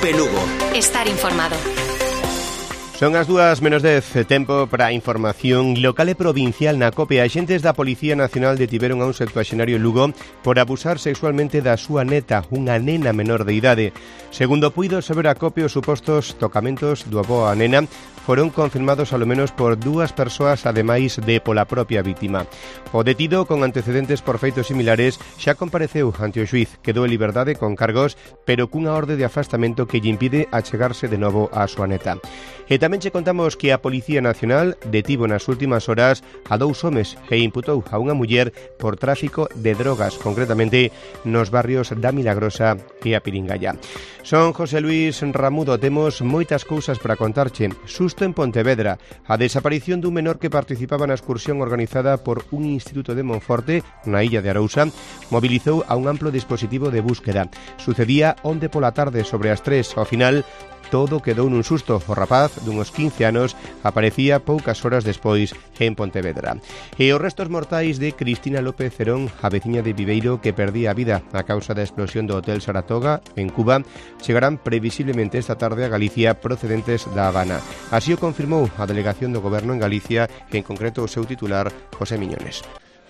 COPE Lugo. Estar informado. Son as 2:10, tempo para a información local e provincial na COPE. Axentes da Policía Nacional detiveron a un septuaxenario en Lugo por abusar sexualmente da súa neta, unha nena menor de idade. Segundo puido saber a COPE, os supostos tocamentos do avó a nena foron confirmados alo menos por 2 persoas, ademais de pola propia vítima. O detido, con antecedentes por feitos similares, xa compareceu ante o xuiz. Quedou en liberdade con cargos, pero cunha orde de afastamento que lle impide achegarse de novo á súa neta. E tamén che contamos que a Policía Nacional detivo nas últimas horas a 2 homes e imputou a unha muller por tráfico de drogas, concretamente nos barrios da Milagrosa e a Piringalla. Son José Luis Ramudo, temos moitas cousas para contarche. Susto en Pontevedra, a desaparición dun menor que participaba na excursión organizada por un instituto de Monforte, na illa de Arousa, mobilizou a un amplo dispositivo de búsqueda. Sucedía onde pola tarde sobre as 3, ao final todo quedou nun susto. O rapaz, dunhos 15 anos, aparecía poucas horas despois en Pontevedra. E os restos mortais de Cristina López Cerón, a veciña de Viveiro que perdía a vida a causa da explosión do Hotel Saratoga, en Cuba, chegarán previsiblemente esta tarde a Galicia procedentes da Habana. Así o confirmou a delegación do Goberno en Galicia, en concreto o seu titular, José Miñones.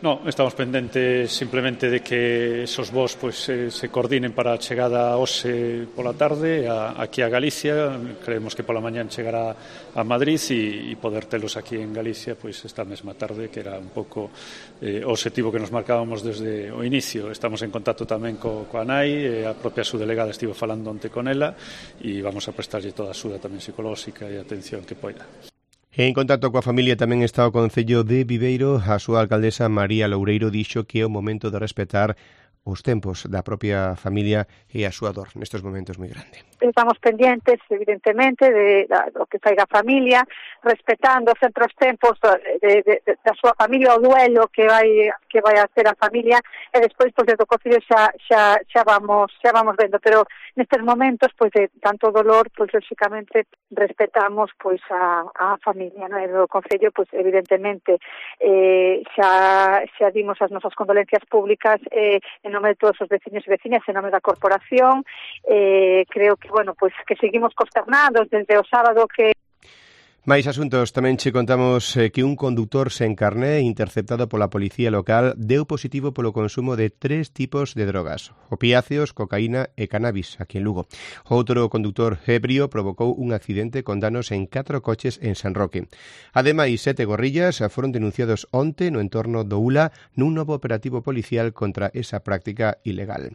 No, estamos pendentes simplemente de que esos voos se coordinen para a chegada hoxe pola tarde aquí a Galicia. Creemos que pola mañán chegará a Madrid e poder telos aquí en Galicia esta mesma tarde, que era un pouco o obxectivo que nos marcábamos desde o inicio. Estamos en contacto tamén coa nai, a propia subdelegada estivo falando onte con ela e vamos a prestarlle toda a axuda tamén psicolóxica e atención que poida. En contacto coa familia tamén está o Concello de Viveiro. A súa alcaldesa María Loureiro dixo que é o momento de respetar os tempos da propia familia e a súa dor nestes momentos moi grande. Estamos pendientes, evidentemente, do que faiga a familia, respetando sempre os tempos da súa familia, o duelo que vai a ter a familia, e despois, desde o Concello xa vamos vendo, pero nestes momentos, de tanto dolor, lógicamente, respetamos, a familia, non? E do Concello, evidentemente, xa dimos as nosas condolencias públicas, en nome de todos os veciños e veciñas, en nome da corporación. Creo que, que seguimos consternados desde o sábado que... Mais asuntos, tamén che contamos que un conductor sen carné interceptado pola policía local deu positivo polo consumo de 3 tipos de drogas: opiáceos, cocaína e cannabis, aquí en Lugo. Outro conductor ebrio provocou un accidente con danos en 4 coches en San Roque. Ademais, 7 gorrillas foron denunciados onte no entorno do Ula nun novo operativo policial contra esa práctica ilegal.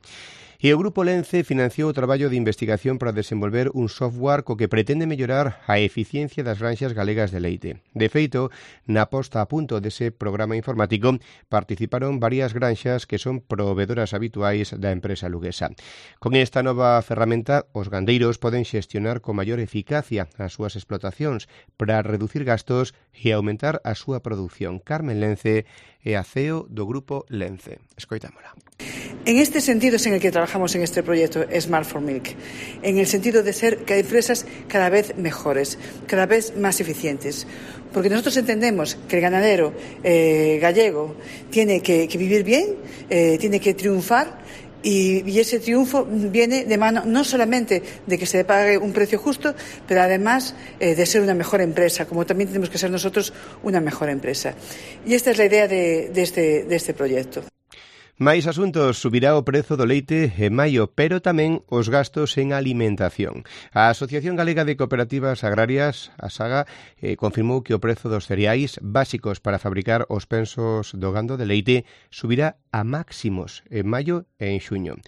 E o Grupo Lence financiou o traballo de investigación para desenvolver un software co que pretende mellorar a eficiencia das granxas galegas de leite. De feito, na posta a punto dese programa informático participaron varias granxas que son proveedoras habituais da empresa luguesa. Con esta nova ferramenta, os gandeiros poden xestionar con maior eficacia as súas explotacións para reducir gastos e aumentar a súa produción. Carmen Lence é a CEO do Grupo Lence. Escoitámola. En este sentido es en el que trabajamos en este proyecto Smart for Milk, en el sentido de ser empresas cada vez mejores, cada vez más eficientes, porque nosotros entendemos que el ganadero gallego tiene que vivir bien, tiene que triunfar, y ese triunfo viene de mano no solamente de que se le pague un precio justo, pero además de ser una mejor empresa, como también tenemos que ser nosotros una mejor empresa. Y esta es la idea de este proyecto. Máis asuntos, subirá o prezo do leite en maio, pero tamén os gastos en alimentación. A Asociación Galega de Cooperativas Agrarias, a SAGA, confirmou que o prezo dos cereais básicos para fabricar os pensos do gando de leite subirá a máximos en maio e en xuño.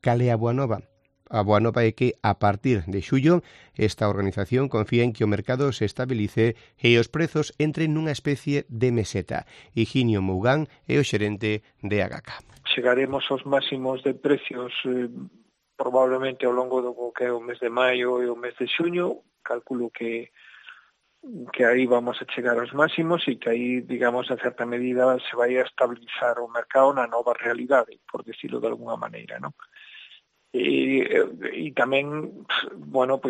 Cal é a boa nova? A boa nova é que, a partir de xullo, esta organización confía en que o mercado se estabilice e os prezos entren nunha especie de meseta. Higinio Mougán é o xerente de AGACA. Chegaremos aos máximos de precios probablemente ao longo do que é o mes de maio e o mes de xuño. Calculo que aí vamos a chegar aos máximos e que aí, digamos, en certa medida se vai a estabilizar o mercado na nova realidade, por decirlo de alguna maneira, non? E tamén,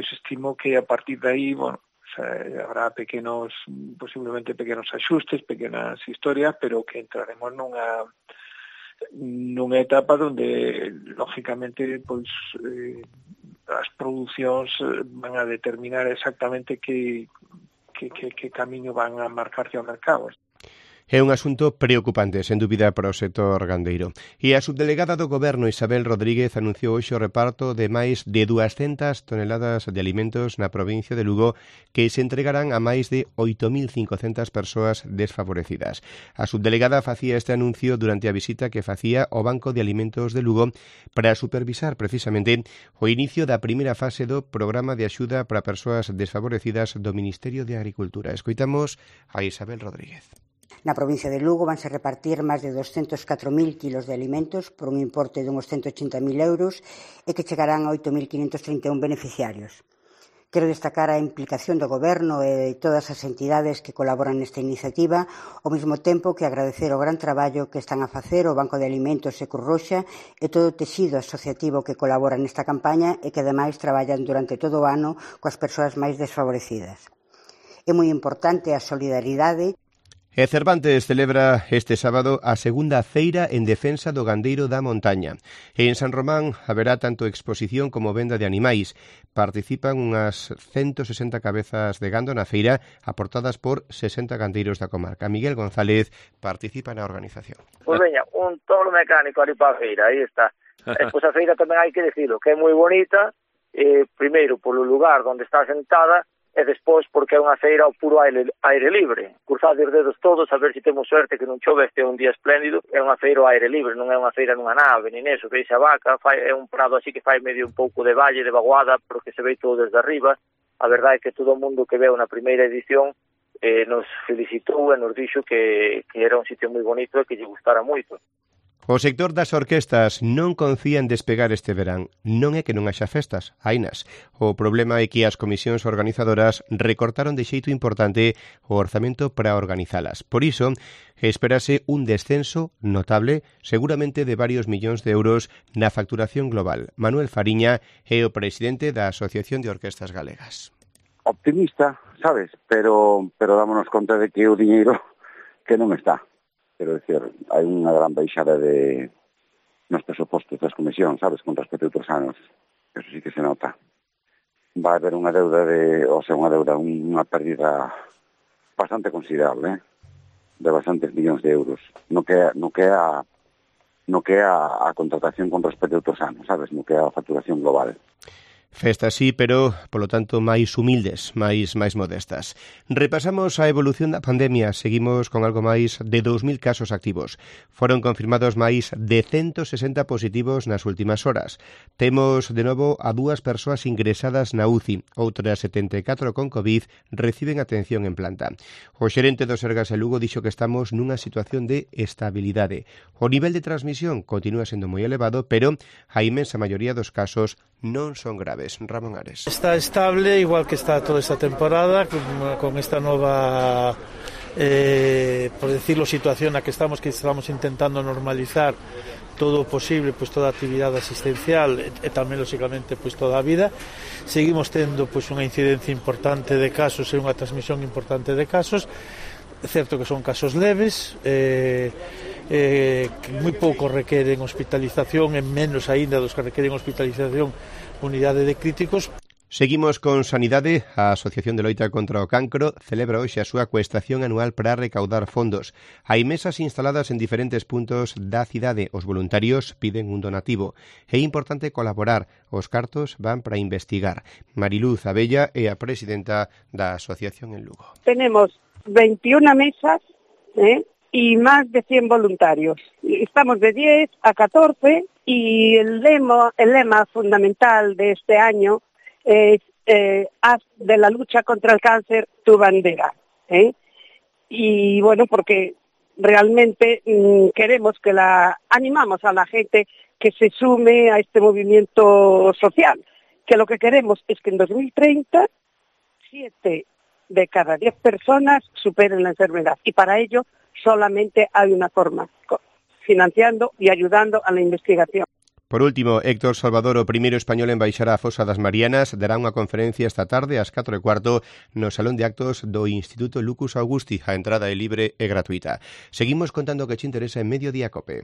estimo que a partir de aí, habrá posiblemente pequenos axustes, pequenas historias, pero que entraremos nunha etapa donde, lógicamente, as producións van a determinar exactamente que camiño van a marcarse ao mercado. É un asunto preocupante, sen dúbida, para o sector gandeiro. E a subdelegada do Goberno, Isabel Rodríguez, anunciou hoxe o reparto de máis de 200 toneladas de alimentos na provincia de Lugo que se entregarán a máis de 8.500 persoas desfavorecidas. A subdelegada facía este anuncio durante a visita que facía ao Banco de Alimentos de Lugo para supervisar precisamente o inicio da primeira fase do programa de axuda para persoas desfavorecidas do Ministerio de Agricultura. Escoitamos a Isabel Rodríguez. Na provincia de Lugo vanse repartir máis de 204.000 kilos de alimentos por un importe de uns 180.000 euros e que chegarán a 8.531 beneficiarios. Quero destacar a implicación do Goberno e de todas as entidades que colaboran nesta iniciativa, ao mesmo tempo que agradecer o gran traballo que están a facer o Banco de Alimentos e Cruz Roxa e todo o tecido asociativo que colabora nesta campaña e que ademais traballan durante todo o ano coas persoas máis desfavorecidas. É moi importante a solidaridade. E Cervantes celebra este sábado a segunda feira en defensa do gandeiro da montaña. E en San Román haberá tanto exposición como venda de animais. Participan unhas 160 cabezas de gando na feira, aportadas por 60 gandeiros da comarca. Miguel González participa na organización. Pois veña, un tolo mecánico ali para a feira, aí está. Pois a feira tamén hai que decirlo, que é moi bonita, primeiro polo lugar onde está sentada, e despois porque é unha feira ao puro aire libre. Cruzade os dedos todos a ver se temos suerte que non chove, este é un día espléndido. É unha feira ao aire libre, non é unha feira nunha nave, nin eso, que a vaca, é un prado así que fai medio un pouco de valle, de vaguada, porque se ve todo desde arriba. A verdade é que todo o mundo que veu na primeira edición nos felicitou e nos dixo que era un sitio moi bonito e que lle gustara moito. O sector das orquestas non confía en despegar este verán. Non é que non haxa festas, hainas. O problema é que as comisións organizadoras recortaron de xeito importante o orzamento para organizalas. Por iso, espérase un descenso notable, seguramente de varios millóns de euros na facturación global. Manuel Fariña é o presidente da Asociación de Orquestas Galegas. Optimista, sabes, pero dámonos conta de que o diñeiro que non está. Quero dicir, hai unha gran baixada nos presupostos das comisións, sabes, con respecto a outros anos. Eso sí que se nota. Vai haber unha deuda unha pérdida bastante considerable, de bastantes millóns de euros. No que é a contratación con respecto a outros anos, sabes, no que é a facturación global. Festas sí, pero, polo tanto, máis humildes, máis modestas. Repasamos a evolución da pandemia. Seguimos con algo máis de 2.000 casos activos. Foron confirmados máis de 160 positivos nas últimas horas. Temos, de novo, a 2 persoas ingresadas na UCI. Outras 74 con COVID reciben atención en planta. O xerente do Sergas de Lugo dixo que estamos nunha situación de estabilidade. O nivel de transmisión continúa sendo moi elevado, pero a inmensa maioría dos casos non son graves. Ramón Ares. Está estable, igual que está toda esta temporada, con esta nova, por decirlo, situación na que estamos intentando normalizar todo o posible, pues toda a actividade asistencial e tamén, lógicamente, pues toda a vida. Seguimos tendo pues unha incidencia importante de casos e unha transmisión importante de casos. É certo que son casos leves, que moi pouco requeren hospitalización e menos aínda dos que requeren hospitalización unidade de críticos. Seguimos con Sanidade. A Asociación de Loita contra o Cancro celebra hoxe a súa cuestación anual para recaudar fondos. Hai mesas instaladas en diferentes puntos da cidade. Os voluntarios piden un donativo. É importante colaborar. Os cartos van para investigar. Mariluz Abella é a presidenta da Asociación en Lugo. Tenemos 21 mesas y más de 100 voluntarios. Estamos de 10 a 14 y el lema fundamental de este año es haz de la lucha contra el cáncer tu bandera. Y bueno, porque realmente queremos animamos a la gente que se sume a este movimiento social, que lo que queremos es que en 2030 7 de cada 10 personas superen la enfermedad, y para ello solamente hay una forma, financiando y ayudando a la investigación. Por último, Héctor Salvador, o primeiro español en baixar á Fosa das Marianas, dará unha conferencia esta tarde ás 4:15 no Salón de Actos do Instituto Lucus Augusti. A entrada é libre e gratuita. Seguimos contando o que che interesa en Mediodía Cope.